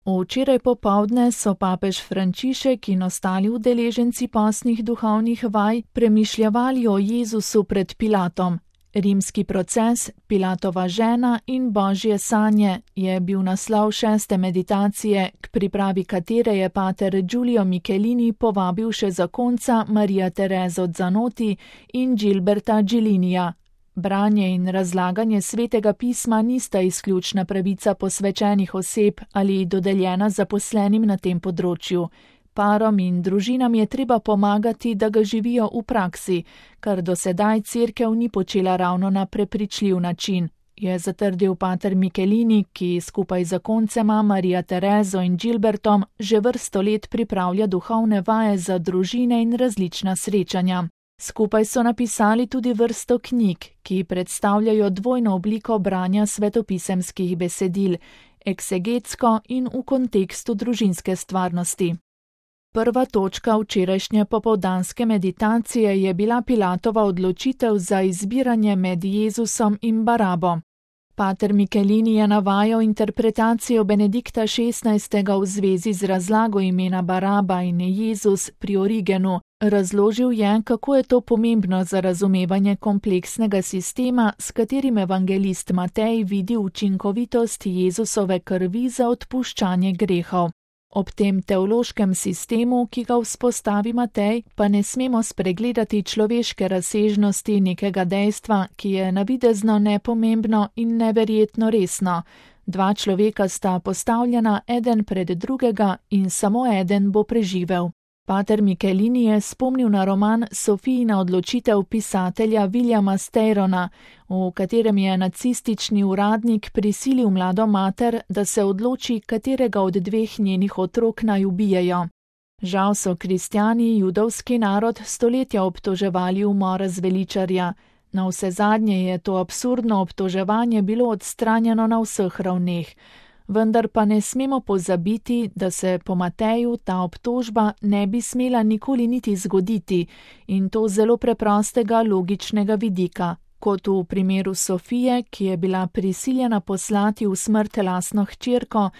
Včeraj popoldne so papež Frančišek in ostali udeleženci postnih duhovnih vaj premišljevali o Jezusu pred Pilatom. Rimski proces, Pilatova žena in Božje sanje je bil naslov 6. meditacije, k pripravi katere je pater Giulio Michelini povabil še zakonca Maria Terezo Zanotti in Gilberta Gilinija. Branje in razlaganje svetega pisma nista izključna pravica posvečenih oseb ali dodeljena zaposlenim na tem področju. Parom in družinam je treba pomagati, da ga živijo v praksi, kar do sedaj cerkev ni počela ravno na prepričljiv način, je zatrdil pater Michelini, ki skupaj z zakoncema Maria Terezo in Gilbertom že vrsto let pripravlja duhovne vaje za družine in različna srečanja. Skupaj so napisali tudi vrsto knjig, ki predstavljajo dvojno obliko branja svetopisemskih besedil, eksegetsko in v kontekstu družinske stvarnosti. Prva točka včerajšnje popoldanske meditacije je bila Pilatova odločitev za izbiranje med Jezusom in Barabo. Pater Michelini je navajal interpretacijo Benedikta XVI. V zvezi z razlago imena Baraba in Jezus pri Origenu. Razložil je, kako je to pomembno za razumevanje kompleksnega sistema, s katerim evangelist Matej vidi učinkovitost Jezusove krvi za odpuščanje grehov. Ob tem teološkem sistemu, ki ga vzpostavi Matej, pa ne smemo spregledati človeške razsežnosti nekega dejstva, ki je navidezno nepomembno in neverjetno resno. Dva človeka sta postavljena eden pred drugega in samo eden bo preživel. Pater Michelini je spomnil na roman Sofijina odločitev pisatelja Williama Steyrona, v katerem je nacistični uradnik prisilil mlado mater, da se odloči, katerega od dveh njenih otrok naj ubijejo. Žal so kristjani judovski narod stoletja obtoževali umora zveličarja. Navsezadnje je to absurdno obtoževanje bilo odstranjeno na vseh ravneh. Vendar pa ne smemo pozabiti, da se po Mateju ta obtožba ne bi smela nikoli niti zgoditi, in to zelo preprostega logičnega vidika, kot v primeru Sofije, ki je bila prisiljena poslati v smrt lastno hčerko.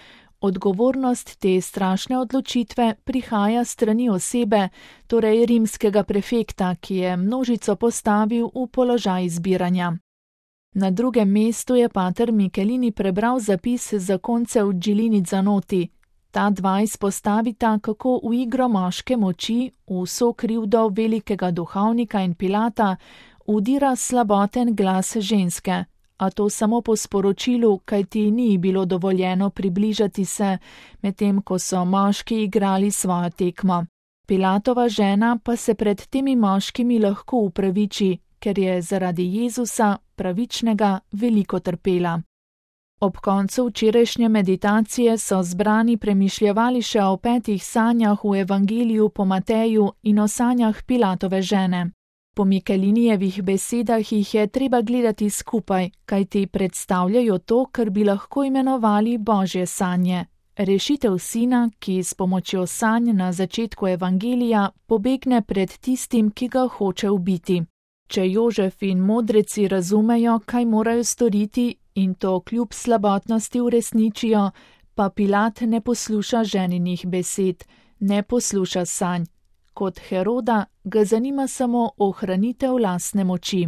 Odgovornost te strašne odločitve prihaja strani osebe, torej rimskega prefekta, ki je množico postavil v položaj izbiranja. Na drugem mestu je pater Michelini prebral zapis zakoncev Gilini Zanotti. Ta dva izpostavita, kako v igro moške moči, v vso krivdo velikega duhovnika in Pilata, vdira slaboten glas ženske, a to samo po sporočilu, kajti ni bilo dovoljeno približati se, medtem ko so moški igrali svojo tekmo. Pilatova žena pa se pred temi moškimi lahko upraviči, ker je zaradi Jezusa, pravičnega, veliko trpela. Ob koncu včerajšnje meditacije so zbrani premišljevali še o 5 sanjah v evangeliju po Mateju in o sanjah Pilatove žene. Po Michelinijevih besedah jih je treba gledati skupaj, kajti predstavljajo to, kar bi lahko imenovali Božje sanje. Rešitev sina, ki s pomočjo sanj na začetku evangelija pobegne pred tistim, ki ga hoče ubiti. Če Jožef in modreci razumejo, kaj morajo storiti in to kljub slabotnosti uresničijo, pa Pilat ne posluša ženinih besed, ne posluša sanj. Kot Heroda ga zanima samo ohranitev lastne moči.